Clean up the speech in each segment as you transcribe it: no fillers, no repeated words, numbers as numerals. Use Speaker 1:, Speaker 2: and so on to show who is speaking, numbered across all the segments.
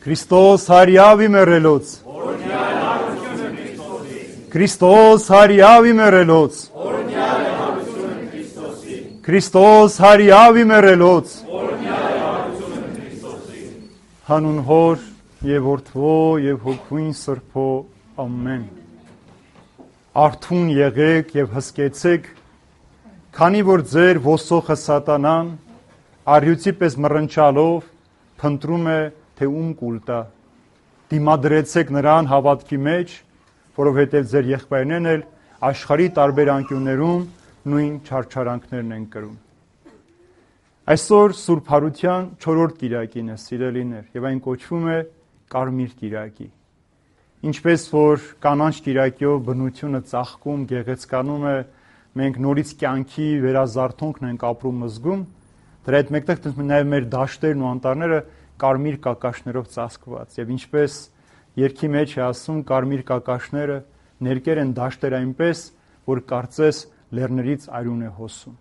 Speaker 1: Քրիստոս հարյավի մեռելոց Քրիստոս հարյավի մեռելոց Քրիստոս հարյավի մեռելոց Հանուն Հոր եւ Որդվո եւ Հոգուին Սրբո ամեն Արթուն եղեք եւ հսկեցեք քանի որ ձեր ոսոխը սատանան արյուծի պես մռնչալով փնտրում է թե ում կուլ տա դիմադրեցեք նրան հավատքի մեջ որովհետև ձեր եղբայրներն էլ աշխարհի տարբեր անկյուններում նույն չարչարանքներն են կրում Այսօր Սուրբ Հարության 4-րդ կիրակին է սիրելիներ եւ այն կոչվում է Կարմիր կիրակի Ինչպես որ կանանչ կիրակյով բնությունը ծաղկում գեղեցկանում է մենք նորից կյանքի վերազարթոնքն ենք ապրում զգում դրա հետ մեկտեղ նաեւ մեր դաշտերն ու անտառները կարմիր կակաշներով ծածկված եւ ինչպես երկի մեջ է ասում կարմիր կակաշները ներկեր են դաշտեր այնպես որ կարծես լեռներից արյուն է հոսում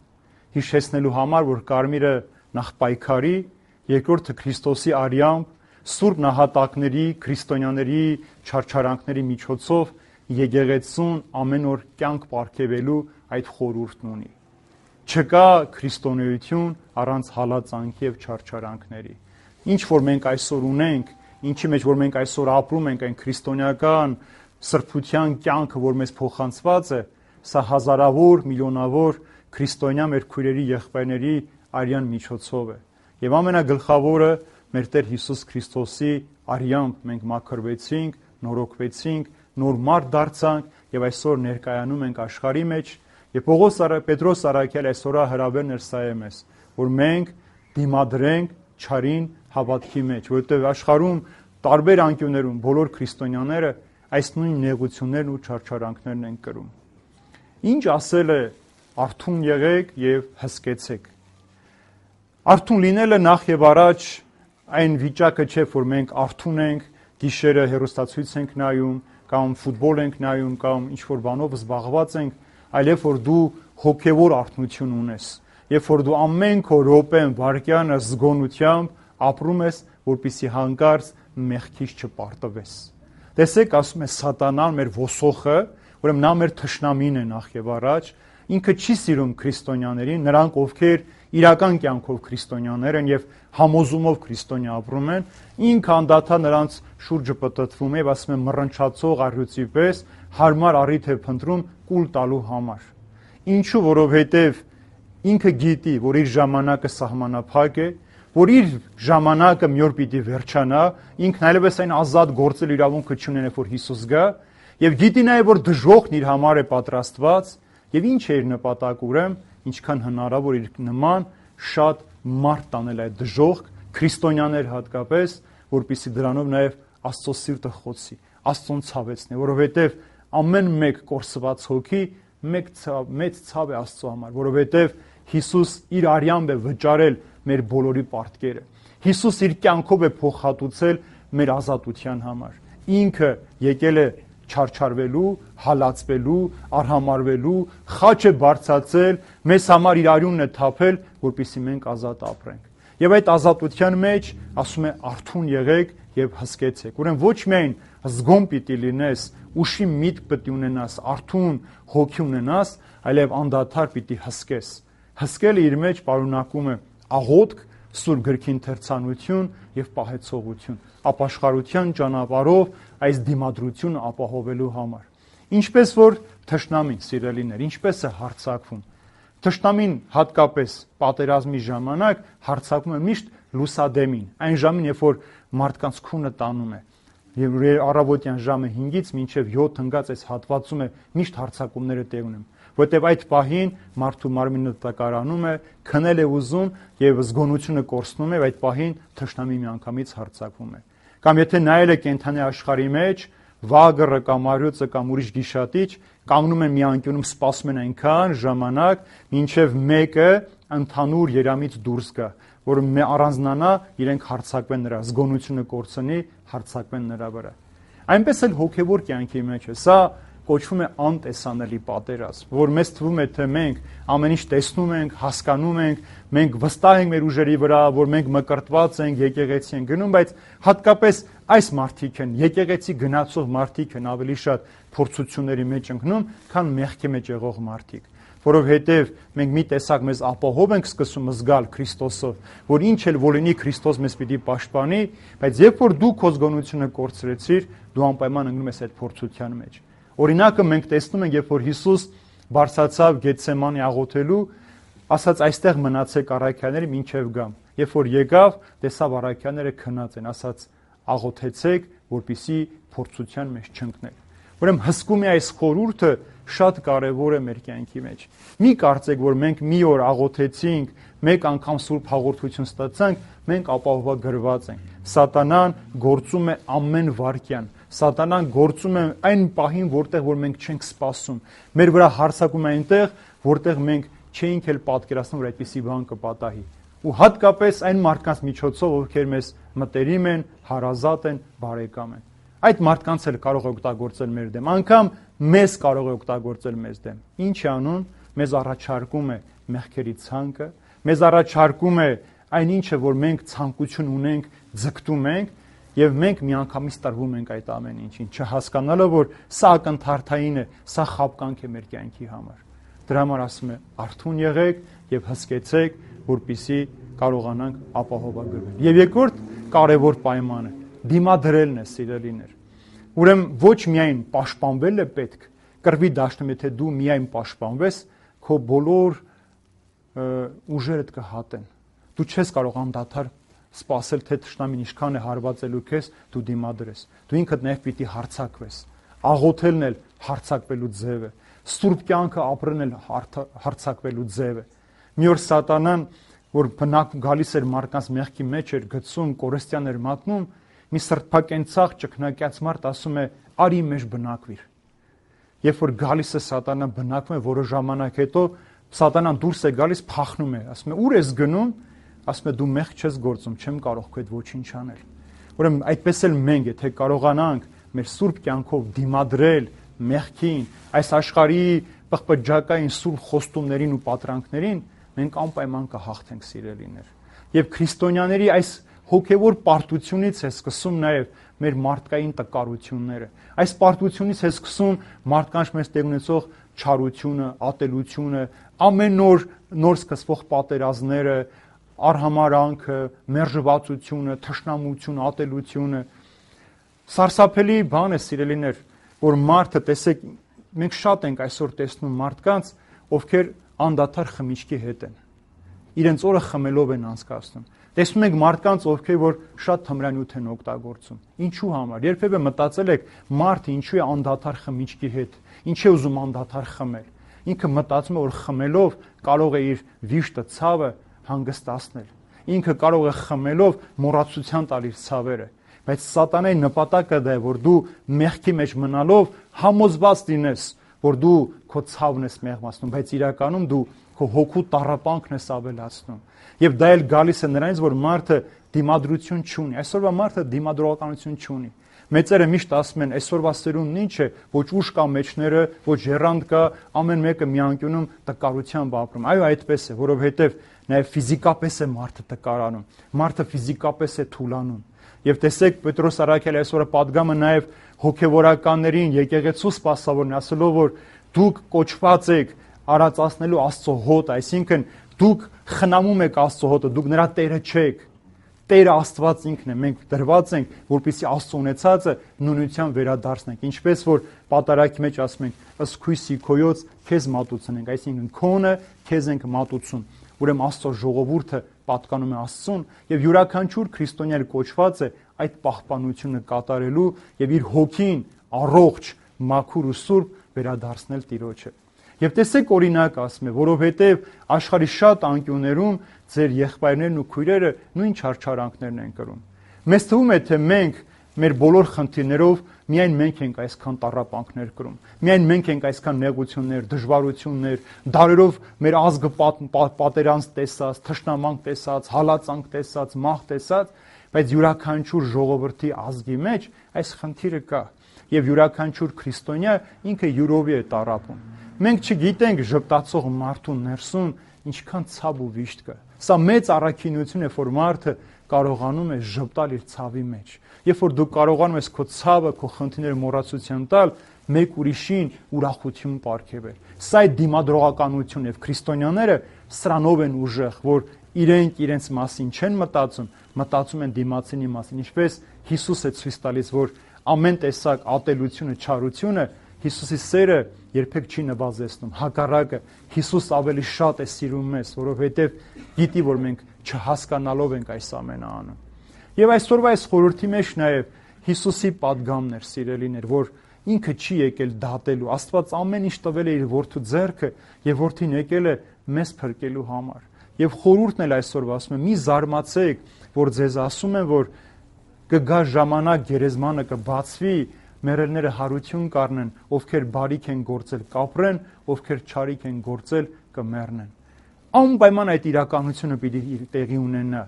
Speaker 1: հիշեցնելու համար որ կարմիրը նախ պայքարի երկրորդը Քրիստոսի արյամբ սուրբ նահատակների քրիստոնյաների չարչարանքների միջոցով եկեղեցուն ամեն օր կյանք ապարգևելու այդ խորհուրդն ունի չկա քրիստոնեություն առանց հալածանքի եւ չարչարանքների Ինչ որ մենք այսօր ունենք, ինչի մեջ որ մենք այսօր ապրում ենք այն քրիստոնեական սրբության կյանքը, որ մեզ փոխանցված է, սա հազարավոր, միլիոնավոր քրիստոնյա մեր քույրերի եղբայրների արյան միջոցով է։ Եվ ամենագլխավորը մեր Տեր Հիսուս Քրիստոսի արյամբ մենք մաքրվեցինք, նորոգվեցինք, նոր մարդ դարձանք եւ այսօր ներկայանում ենք աշխարհի մեջ եւ Պետրոս Արաքյալ այսօր հրավերն էր սա է մեզ, որ մենք դիմադրենք չարին հավատքի մեջ, որովհետև աշխարհում տարբեր անկյուններում բոլոր քրիստոնյաները այս նույն նեղություններն ու չարչարանքներն են կրում։ Ինչ ասել է արթուն եղեք եւ հսկեցեք։ Արթուն լինելը նախ եւ առաջ այն վիճակը չէ, որ մենք արթուն ենք, գիշերը հեռուստացույց ենք նայում, կամ ֆուտբոլ ենք նայում, կամ ինչ որ բանով զբաղված ենք, այլև որ դու հոգեվոր արթնություն ունես, երբ որ դու ամեն քո րոպեն, վայրկյանը զգոնությամբ ապրում ես, որպեսզի հանկարծ մեղքից չպարտվես։ Տեսեք, ասում է սատանան մեր ոսոխը, ուրեմն նա մեր թշնամին է նախ եւ առաջ, ինքը չի սիրում քրիստոնյաներին, նրանք ովքեր իրական կյանքով քրիստոնյաներ են եւ համոզումով քրիստոնյա ապրում են, ինքը անդադար նրանց շուրջը պտտվում է եւ ասում է մռնչացող առյուծի պես հարմար առիթ է փնտրում կուլ տալու համար։ Ինչու, որովհետեւ ինքը գիտի, որ իր ժամանակը սահմանափակ է, որ իր ժամանակը մի օր պիտի վերջանա, ինքն այլևս այն ազատ գործել իրավունքը չունենա, որ Հիսուս գա, եւ գիտի նաեւ որ դժոխքն իր համար է պատրաստված, եւ ինչ է իր նպատակը ուրեմն, ինչքան հնարավոր իր նման շատ մարդ տանել այդ դժոխք, քրիստոնյաներ հատկապես, որպեսզի դրանով նաեւ Աստծո սիրտը խոցի, Աստծուն ցավեցնի, որովհետեւ ամեն մեկ կորսված հոգի մեծ ցավ է Աստծո համար, որովհետեւ Հիսուս իր արյամբ է վճարել մեր բոլորի պարտքերը։ Հիսուս իր կյանքով է փոխհատուցել մեր ազատության համար։ Ինքը եկել է չարչարվելու, հալածվելու, արհամարվելու, խաչ է բարձրացել, մեզ համար իր արյունն է թափել, որպեսզի մենք ազատ ապրենք։ Եվ այդ ազատության մեջ ասում է արթուն եղեք եւ հսկեցեք։ Ուրեմն ոչ միայն զգոն պիտի լինես, ուշի միտք պիտի ունենաս, արթուն հոգի ունենաս, այլև անդադար պիտի հսկես։ Հսկելը իր մեջ պարունակում է աղոթք, Սուրբ գրքի ընթերցանություն եւ պահեցողություն, ապաշխարության ճանապարհով այս դիմադրությունը ապահովելու համար։ Ինչպես որ թշնամին, սիրելիներ, ինչպես է հարձակվում։ Թշնամին հատկապես պատերազմի ժամանակ հարձակվում է միշտ լուսադեմին, այն ժամին, երբ որ մարդկանց քունը տանում է։ Եվ առավոտյան ժամը 5-ից մինչև 7 հնգած այս հատվածում է միշտ հարձակումները տեղ ունեն։ Որտեւ այդ պահին մարդու մարմինը տակարանում է, քնել է ուզում եւ զգոնությունը կորցնում է, այդ պահին թշնամի միանգամից հարձակվում է։ Կամ եթե նայել եք կենթանի աշխարհի մեջ, վագը կամ արյուծը կամ ուրիշ գիշատիչ կանգնում են մի անկյունում, սպասում են այնքան ժամանակ, մինչև մեկը ընդհանուր երամից դուրս գա, որ առանձնանա, իրենք հարձակվեն նրա, զգոնությունը կորցնի, հարձակվեն նրա վրա։ Այնպես էլ հոգեվոր կյանքի մեջ է։ Սա կոչվում է անտեսանելի պատերազմ, որ մեզ թվում է, թե մենք ամեն ինչ տեսնում ենք, հասկանում ենք, մենք վստահ ենք մեր ուժերի վրա, որ մենք մկրտված ենք, եկեղեցի ենք գնում, բայց հատկապես այս մարդիկ են, եկեղեցի գնացող մարդիկ են ավելի շատ փորձությունների մեջ ընկնում, քան մեղքի մեջ եղող մարդիկ, որովհետև մենք մի տեսակ մեզ ապահով ենք սկսում զգալ Քրիստոսով, որ ինչ էլ որ լինի Քրիստոս մեզ պիտի պաշտպանի, բայց երբ որ դու քո զգոնությունը կորցրեցիր, դու անպայման ընկնում ես այդ փորձության մեջ։ Օրինակը մենք տեսնում ենք, երբ որ Հիսուս բարձրացավ Գեթսեմանի աղոթելու, ասաց այստեղ մնացեք առաքյալների մինչև գամ։ Երբ որ եկավ, տեսավ առաքյալները քնած են, ասաց աղոթեցեք, որպեսզի փորձության մեջ չընկնեք։ Ուրեմն հսկում է այս խորհուրդը շատ կարևոր է մեր կյանքի մեջ։ Մի կարծեք, որ մենք մի օր աղոթեցինք, մեկ անգամ սուրբ հաղորդություն ստացանք, մենք ապահովագրված ենք։ Սատանան գործում է ամեն վայրկյան։ Սատանան գործում է այն պահին, որտեղ որ մենք չենք սպասում։ Մեր վրա հարձակում է այնտեղ, որտեղ մենք չէինք էլ պատկերացնում, որ այդպիսի բան կպատահի։ Ու հատկապես այն մարդկանց միջոցով, ովքեր մեզ մտերիմ են, հարազատ են, բարեկամ են։ Այդ մարդկանց էլ կարող է օգտագործել մեր դեմ, անգամ մեզ կարող է օգտագործել մեզ դեմ։ Ինչ է անում, մեզ առաջարկում է մեղքերի ցանկը, մեզ առաջարկում է այն ինչը, որ մենք ցանկություն ունենք, ձգտում ենք, եւ մենք միանգամից տրվում ենք այդ ամեն ինչին, չհասկանալով, որ սա ակնթարթային է, սա խաբկանք է մեր կյանքի համար։ Դրա համար ասում է, արթուն եղեք եւ հսկեցեք, որպեսզի կարողանանք ապահովագրվել։ Եվ երկրորդ կարևոր պայմանը դիմադրելն է, սիրելիներ։ Ուրեմն ոչ միայն պաշտպանվել է պետք, կռվի դաշտում, եթե դու միայն պաշտպանվես, քո բոլոր ուժերդ կհատեն։ Դու չես կարող անդադար սпасել, թե թշնամին ինչքան է հարվածելու քեզ, դու դիմադրես։ Դու ինքդ նաև պիտի հարցակվես։ Աղոթելն էլ հարցակվելու ձև է։ Սուրբ կյանքը ապրելն էլ հարցակվելու ձև է։ Մի օր Սատանան, որ բնակ գալիս էր մարդկանց մեղքի մեջ էր գցում, կորստյան էր մատնում, մի սրբակենցաղ ճկնակյաց մարդ ասում է՝ «Արի մեջ բնակվիր»։ Երբ որ գալիս է Սատանան, բնակվում է, որոշ ժամանակ հետո Սատանան դուրս է գալիս, փախնում է, ասում է՝ «Ուր ես գնում»։ Ասում է՝ «Դու մեղք չես գործում, չեմ կարող քո հետ ոչինչ անել»։ Ուրեմն այդպես էլ մենք, եթե կարողանանք մեր սուրբ կյանքով դիմադրել մեղքին, այս աշխարհի պղպջակային սուրբ խոստումներին ու պատրանքներին, մենք անպայման կհաղթենք, սիրելիներ։ Եվ քրիստոնյաների այս հոգևոր պարտությունից է սկսում նաև մեր մարդկային տկարությունները։ Այս պարտությունից է սկսում մարդկանց մեծ տեղ ունեցող չարությունը, ատելությունը, ամեն նոր սկսվող պատերազմները, արհամարանքը, մերժվածությունը, թշնամությունը, ատելությունը։ Սարսափելի բան է, սիրելիներ, որ մարդը, տեսեք, մենք շատ ենք այսօր տեսնում մարդկանց, ովքեր անդադար խմիչքի հետ են։ Իրենց օրը խմելով են անցկացնում։ Տեսնում ենք մարդկանց, ովքեր որ շատ թմրանյութ են օգտագործում։ Ինչու համար։ Երբևէ մտածել եք, մարդը ինչու է անդադար խմիչքի հետ, ինչ է ուզում անդադար խմել։ Ինքը մտածում է, որ խմելով կարող է իր վիշտը, ցավը հանգստացնել։ Ինքը կարող է խմելով մոռացության տալ իր ցավերը։ Բայց Սատանայի նպատակը դա է, որ դու մեղքի մեջ մնալով համոզված լինես, որ դու քո ցավն ես մեղմացնում, բայց իրականում դու քո հոգու տառապանքն ես ավելացնում։ Եվ դա էլ գալիս է նրանից, որ մարդը դիմադրություն չունի։ Այսօրվա մարդը դիմադրողականություն չունի։ Մեծերը միշտ ասում են, այսօրվա սերունդն ինչ է, ոչ ուժ կա մեջները, ոչ եռանդ կա, ամեն մեկը մի անկյունում տկարությամբ ապրում։ Այո, այդպես է, որովհետև նաև ֆիզիկապես է մարդը տկարանում։ Մարդը ֆիզիկապես է թուլանում։ Եվ տեսեք, Պետրոս առաքյալի այսօրը պատգամը նաև հոգևորականներին, եկեղեցու սպասավորն ասելով, որ դուք կոչված եք արածացնելու Աստծո հոտ, այսինքն դուք խնամում եք Աստծո հոտը, դուք նրա Տերը չեք։ Տերը Աստված ինքն է, մենք դրված ենք, որպեսզի Աստծո ունեցածը նույնությամբ վերադարձնենք, ինչպես որ պատարագի մեջ ասում ենք, ըստ քույսի քոյոց քեզ մատուցնենք, այսինքն քոնը քեզ ենք մատուցում։ Ուրեմն Աստծո ժողովուրդը պատկանում է Աստծուն, եւ յուրաքանչյուր քրիստոնյա կոչված է այդ պահպանությունը կատարելու եւ իր հոգին առողջ, մաքուր ու սուրբ վերադարձնել Տիրոջը։ Եվ տեսեք օրինակ ասում է, որովհետև աշխարհի շատ անկյուններում ձեր եղբայրներն ու քույրերը նույն չարչարանքներն են կրում։ Մեզ թվում է, թե մենք մեր բոլոր խնդիրներով միայն մենք ենք այսքան տառապանքներ կրում։ Միայն մենք ենք այսքան նեղություններ, դժվարություններ, դարերով մեր ազգը պատերանց տեսած, թշնամանք տեսած, հալածանք տեսած, մահ տեսած, բայց յուրաքանչյուր ժողովրդի ազգի մեջ այս խնդիրը կա։ եւ յուրաքանչյուր քրիստոնյա ինքը յուրովի է տառապում։ Մենք չգիտենք ժպտացող մարդու ներսում ինչքան ցավ ու վիշտ կա։ Սա մեծ առաքինություն է, որ մարդը կարողանում է ժպտալ իր ցավի մեջ։ Երբ որ դու կարողանում ես քո ցավը, քո խնդիրները մոռացության տալ, մեկ ուրիշին ուրախություն պարգևել։ Սա է դիմադրողականություն եւ քրիստոնյաները սրանով են ուժեղ, որ իրենք իրենց մասին չեն մտածում են դիմացինի մասին, ինչպես Հիսուս է ցույց տալիս, որ ամեն տեսակ ատելությունը, չարությունը Հիսուսի սերը երբեք չի նվազեցնում, հակառակը Հիսուս ավելի շատ է սիրում մեզ, որովհետև գիտի, որ մենք չհասկանալով ենք այս ամենը անում։ Եվ այսօրվա այս խորհրդի մեջ նաև Հիսուսի պատգամն էր, սիրելիներ, որ ինքը չի եկել դատելու, Աստված ամեն ինչ տվել է իր որդու ձեռքը եւ որդին եկել է մեզ փրկելու համար։ Եվ խորհուրդն էլ այսօր ասում է՝ մի զարմացեք, որ ձեզ ասում են, որ կգա ժամանակ, գերեզմանը կբացվի, մեռելները հարություն կառնեն, ովքեր բարիք են գործել կապրեն, ովքեր չարիք են գործել կմեռնեն։ Անպայման այդ իրականությունը պիտի տեղի ունենա,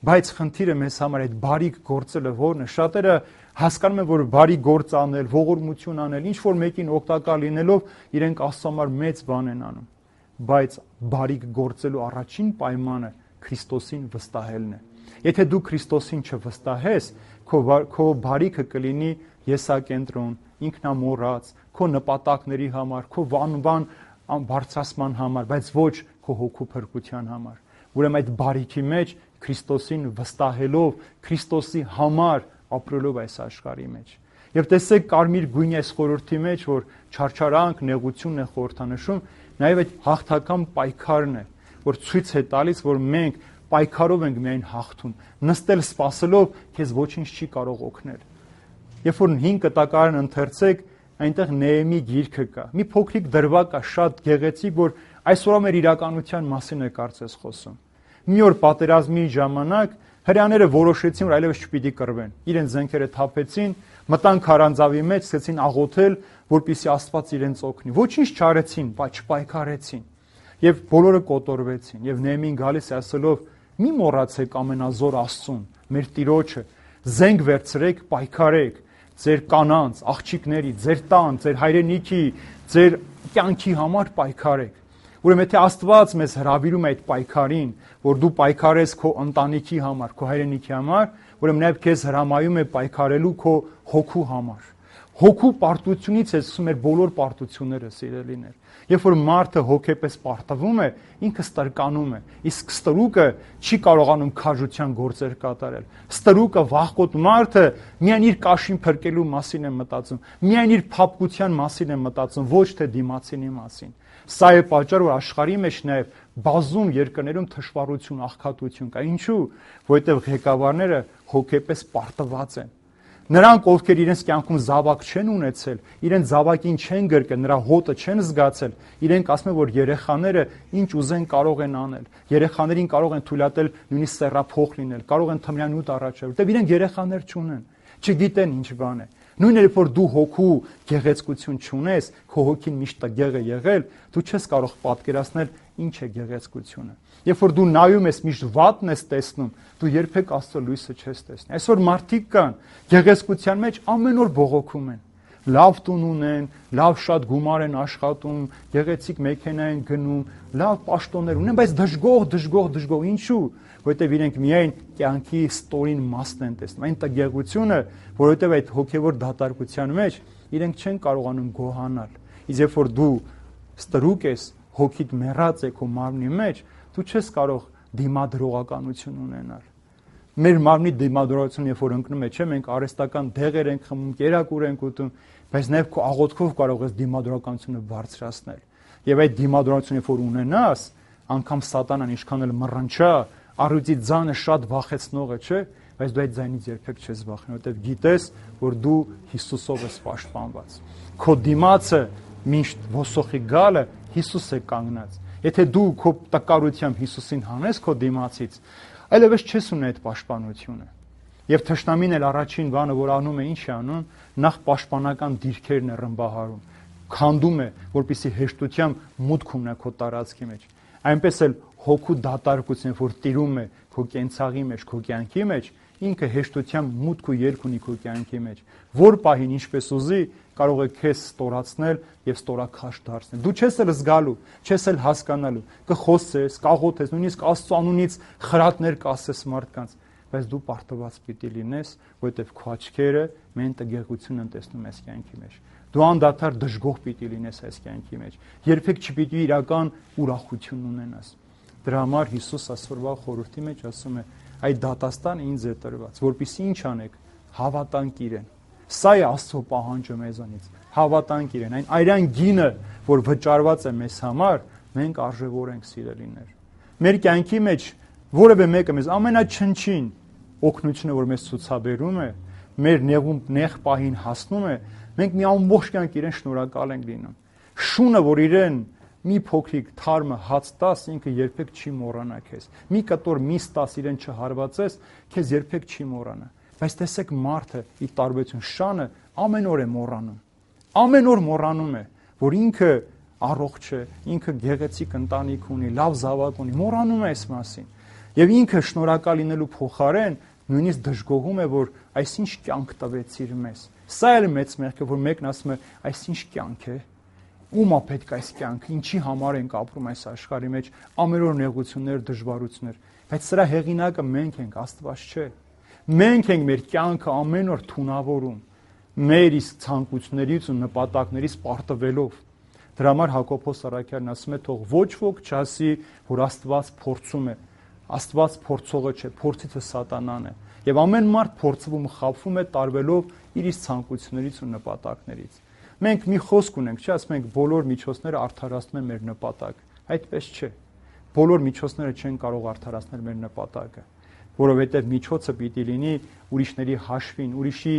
Speaker 1: բայց խնդիրը մեզ համար այդ բարիք գործելը որն է։ Շատերը հասկանում են, որ բարի գործ անել, ողորմություն անել, ինչ որ մեկին օգտակար լինելով իրենք Աստծո համար մեծ բան են անում, բայց բարիք գործելու առաջին պայմանը Քրիստոսին վստահելն է։ Եթե դու Քրիստոսին չվստահես, քո բարիքը կլինի եսակենտրոն, ինքնամոռաց, քո նպատակների համար, քո վանվան բարձրացման համար, բայց ոչ քո հոգու փրկության համար։ Ուրեմն այդ բարիքի մեջ Քրիստոսին վստահելով, Քրիստոսի համար ապրելով այս աշխարհի մեջ։ Եվ տեսեք կարմիր գույնի այս խորհրդի մեջ, որ չարչարանք, նեղությունն է խորհրդանշում, նաև այդ հաղթական պայքարն է, որ ցույց է տալիս, որ մենք պայքարով ենք միայն հաղթում։ Նստել սպասելով քեզ ոչինչ չի կարող օգնել։ Երբ որ 5 կտակարան ընթերցեք, այնտեղ Նեեմի գիրքը կա։ Մի փոքրիկ դրվագ կա, շատ գեղեցիկ, որ այսօր մեր իրականության մասին է կարծես խոսում։ Մի օր պատերազմի ժամանակ հրեաները որոշեցին, որ այլևս չպիտի կռվեն։ Իրենց զենքերը թափեցին, մտան քարանձավի մեջ, սկսեցին աղոթել, որպեսզի Աստված իրենց օգնի։ Ոչինչ չարեցին, բայց չպայքարեցին։ Եվ բոլորը կոտորվեցին։ Եվ Նեեմին գալիս է ասելով. «Մի մոռացեք ամենազոր Աստծուն, մեր Տիրոջը, զենք վերցրեք, պայքարեք, ձեր կանանց, աղջիկների, ձեր տան, ձեր հայրենիքի, ձեր կյանքի համար պայքարեք»։ Ուրեմն եթե Աստված մեզ հրավիրում է այդ պայքարին, որ դու պայքարես քո ընտանիքի համար, քո հայրենիքի համար, ուրեմն նաև քեզ հրամայում է պայքարելու քո հոգու համար։ Հոգու պարտությունից է սկսում մեր բոլոր պարտությունները, սիրելիներ։ Երբ որ մարդը հոգեպես պարտվում է, ինքը ստրկանում է, իսկ ստրուկը չի կարողանում քաջության գործեր կատարել։ Ստրուկը, վախկոտ մարդը միայն իր կաշին փրկելու մասին է մտածում, միայն իր փափկության մասին է մտածում, ոչ թե դիմացինի մասին։ Սա է պատճառը, որ աշխարհի մեջ նաև բազում երկրներում թշվառություն, աղքատություն կա։ Ինչու՞։ Որովհետև ղեկավարները հոգեպես պարտված են։ Նրանք, ովքեր իրենց կյանքում զավակ չեն ունեցել, իրենց զավակին չեն գրկել, նրա հոտը չեն զգացել, իրենք ասում են, որ երեխաները ինչ ուզեն կարող են անել։ Երեխաներին կարող են թույլատրել նույնիսկ սեռափոխ լինել, կարող են թմրանյութ առաջել, որտեղ իրենք երեխաներ չունեն, չգիտեն ինչ բան է։ Նույնն էլ որ դու հոգու գեղեցկություն չունես, քո հոգին միշտ տգեղ է եղել, դու չես կարող պատկերացնել ինչ է գեղեցկությունը։ Երբ որ դու նայում ես միշտ վատն ես տեսնում, դու երբեք Աստծո լույսը չես տեսնի։ Այսօր մարդիկ կան, գեղեցկության մեջ ամեն օր բողոքում են։ Լավ տուն ունեն, լավ շատ գումար են աշխատում, գեղեցիկ մեքենա են գնում, լավ պաշտոններ ունեն, բայց դժգոհ, ինչու՞։ Որովհետև իրենք միայն կյանքի ստորին մասն են տեսնում։ Այն տգեղությունը, որովհետև այդ հոգևոր դատարկության մեջ իրենք չեն կարողանում գոհանալ։ Իսկ երբ որ դու ստրուկ ես, հոգիդ մեռած է քո մարմնի մեջ, դու չես կարող դիմադրողականություն ունենալ։ Մեր մարմնի դիմադրողությունը, երբ որ ընկնում է, չէ, մենք արհեստական դեղեր ենք խմում, կերակուր ենք ուտում, բայց նաև քո աղոթքով կարող ես դիմադրողականությունը բարձրացնել։ Եվ այդ դիմադրողությունը, երբ որ ունենաս, անգամ սատանան ինչքան էլ մռնչա, առյուծի ձայնը շատ վախեցնող է, չէ, բայց դու այդ ձայնից երբեք չես վախենում, որովհետև գիտես, որ դու Հիսուսով ես պաշտպանված։ Քո դիմացը միշտ ոսոխի գալը Հիսուս է կանգնած։ Եթե դու քո տկարությամբ Հիսուսին հանես քո դիմացից, այլևս չես ունի այդ պաշտպանությունը։ Եվ թշնամին էլ առաջին բանը, որ անում է, ինչ է անում, նախ պաշտպանական դիրքերն է ռմբահարում, քանդում է, որպեսզի հեշտությամբ մուտք ունենա քո տարածքի մեջ։ Այնպես էլ հոգու դատարկությունը, որ տիրում է քո կենցաղի մեջ, քո կյանքի մեջ, ինքը հեշտությամբ մուտք ու ելք ունի քո կյանքի մեջ։ Որ պահին ինչպես ուզի, կարող է քեզ ստորացնել եւ ստորաքաշ դարձնել։ Դու չես էլ զգալու, չես էլ հասկանալու, կխոսես, կաղոթես, նույնիսկ Աստծո անունից խրատներ կասես մարդկանց, բայց դու պարտված պիտի լինես, որովհետեւ քո աչքերը մեն տգեղություն են տեսնում այս կյանքի մեջ։ Դու անդադար դժգոհ պիտի լինես այս կյանքի մեջ։ Երբեք չպիտի իրական ուրախություն ունենաս։ Դրա համար Հիսուս այսօրվա խորհրդի մեջ ասում է. այդ դատաստանը ինձ է տրված, որպեսզի ինչ անեք, հավատանք իրեն։ Սա է Աստծո պահանջը մեզանից, հավատանք իրեն, այն արյան գինը, որ վճարված է մեզ համար, մենք արժևորենք սիրելիներ։ Մեր կյանքի մեջ որևէ մեկը մեզ ամենաչնչին օգնությունը, որ մեզ ցուցաբերում է, մեր նեղ պահին հասնում է, մենք մի ամբողջ կյանք իրեն շնորհակալ ենք լինում։ Շունը, որ իրեն մի փոքրիկ թարմը հաց տաս, ինքը երբեք չի մոռանա քեզ։ Մի կտոր միս տաս իրեն չհարվածես, քեզ երբեք չի մոռանա։ Բայց տեսեք մարդը ի տարբերություն շանը ամեն օր է մոռանում։ Ամեն օր մոռանում է, որ ինքը առողջ է, ինքը գեղեցիկ ընտանիք ունի, լավ զավակ ունի, մոռանում է այս մասին։ Եվ ինքը շնորհակալ լինելու փոխարեն նույնիսկ դժգոհում է, որ այսինչ կյանք տվեցիր մեզ։ Սա էլ մեծ մեղք է, որ մեկն ասում է, այսինչ կյանք է։ Ումա պետք է այս կյանքը, ինչի համար ենք ապրում այս աշխարհի մեջ, ամեն օր նեղություններ, դժվարություններ, բայց սրա հեղինակը մենք ենք, Աստված չէ։ Մենք ենք մեր կյանքը ամեն օր թունավորում, մեր իսկ ցանկություններից ու նպատակներից պարտվելով։ Դրա համար Հակոբոս առաքյալն ասում է, թող ոչ ոք չասի, որ Աստված փորձում է։ Աստված փորձողը չէ, փորձիչը սատանան է։ Եվ ամեն մարդ փորձվում ու խաբվում է տարվելով իր իսկ ցանկություններից ու նպատակներից։ Մենք մի խոսք ունենք, չէ՞, ասում ենք բոլոր միջոցները արդարացնում են մեր նպատակը։ Այդպես չէ։ Բոլոր միջոցները չեն կարող արդարացնել մեր նպատակը, որովհետև միջոցը պիտի լինի ուրիշների հաշվին, ուրիշի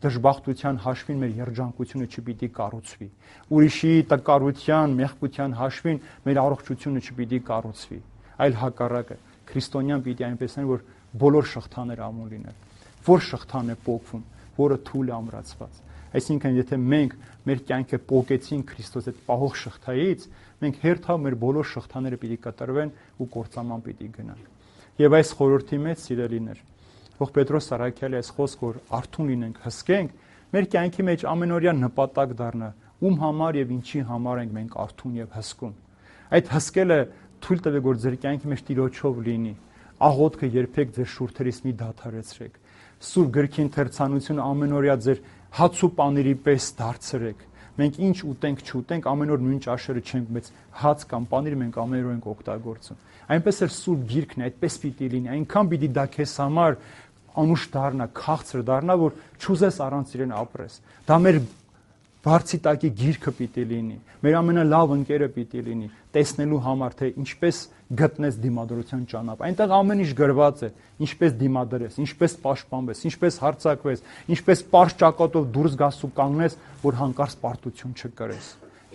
Speaker 1: դժբախտության հաշվին մեր երջանկությունը չպիտի կառուցվի։ Ուրիշի տկարության, մեղքության հաշվին մեր առողջությունը չպիտի կառուցվի, այլ հակառակը։ Քրիստոնյան պիտի այնպես լինի, որ բոլոր շղթաները ամուր լինեն։ Որ շղթան է պոկվում, որը թույլ է ամրացված։ Այսինքն, եթե մենք մեր կյանքը պոկեցինք Քրիստոս այդ պահող շղթայից, մենք հերթավ մեր բոլոր շղթաները պիտի կտրվեն ու կործանման պիտի գնան։ Եվ այս խորհրդի մեջ, սիրելիներ, ող Պետրոս առաքյալի այս խոսքը, որ արթուն լինենք, հսկենք, մեր կյանքի մեջ ամենօրյա նպատակ դառնա, ում համար եւ ինչի համար ենք մենք արթուն եւ հսկում։ Այդ հսկելը թույլ տվեք, որ ձեր կյանքի մեջ Տիրոջով լինի։ Աղոթքը երբեք ձեր շուրթերից մի դադարեցրեք։ Սուրբ գրքի ընթերցանությունը ամենօրյա ձեր հաց ու պանիրի պես դարձրեք։ Մենք ինչ ուտենք, չուտենք, ամեն օր նույն ճաշերը չենք, բայց հաց կամ պանիր մենք ամեն օր ենք օգտագործում։ Այնպես էլ Սուրբ գիրքն է, այդպես պիտի լինի։ Այնքան պիտի դա քեզ համար անուշ դառնա, քաղցր դառնա, որ չուզես առանց իրեն ապրես։ Դա մեր բարձի տակի գիրքը պիտի լինի, մեր ամենալավ ընկերը պիտի լինի, տեսնելու համար, թե ինչպես գտնես դիմադրության ճանապարհ։ Այնտեղ ամեն ինչ գրված է, ինչպես դիմադրես, ինչպես պաշտպանվես, ինչպես հարձակվես, ինչպես պարզ ճակատով դուրս գաս ու կանգնես, որ հանկարծ պարտություն չկրես։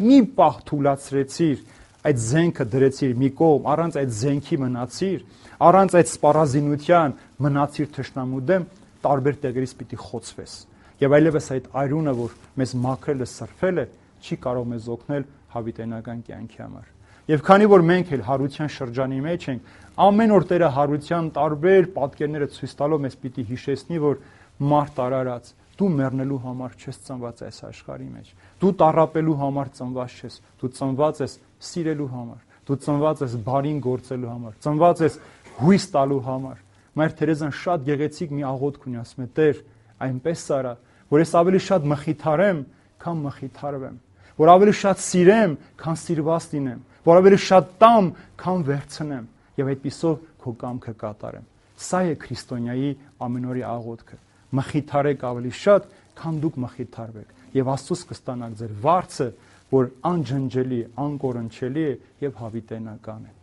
Speaker 1: Մի պահ թուլացրեցիր, այդ զենքը դրեցիր մի կողմ, առանց այդ զենքի մնացիր, առանց այդ սպառազինության մնացիր թշնամու դեմ, տարբեր տեղերից պիտի խոցվես։ Եվ այլևս այդ այրունը, որ մեզ մաքրել է, սրբել է, չի կարող մեզ օգնել հավիտենական կյանքի համար։ Եվ քանի որ մենք էլ հարության շրջանի մեջ ենք, ամեն օր Տերը հարության տարբեր պատկերները ցույց տալով մեզ պիտի հիշեցնի, որ մարդ արարած, դու մեռնելու համար չես ծնված այս աշխարհի մեջ։ Դու տառապելու համար ծնված չես, դու ծնված ես սիրելու համար, դու ծնված ես բարին գործելու համար, ծնված ես հույս տալու համար։ Մայր Թերեզան շատ գեղեցիկ մի աղոթք ունի, ասում է. Տեր, այնպես արա, որ ես ավելի շատ մխիթարեմ, քան մխիթարվեմ, որ ավելի շատ սիրեմ, քան սիրված լինեմ, որ ավելի շատ տամ, քան վերցնեմ, եւ այդպիսով քո կամքը կատարեմ։ Սա է քրիստոնյայի ամենօրյա աղոթքը։ Մխիթարեք ավելի շատ, քան դուք մխիթարվեք, եւ Աստծուց կստանաք ձեր վարձը, որ անջնջելի, անկորնչելի է եւ հավիտենական է։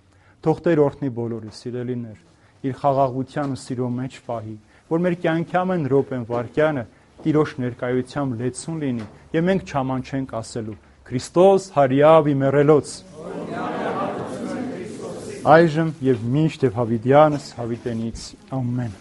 Speaker 1: Թող Տեր օրհնի բոլորիս, սիրելիներ, իր խաղաղության ու սիրո մեջ պահի, որ մեր կյանքի ամեն րոպեն վայրկյանը Տիրոջ ներկայությամբ լեցուն լինի եւ մենք չամանչենք ասելու Քրիստոս հարյավ իմերելոց այժմ եւ միշտ եւ հավիտյանս հավիտենից ամեն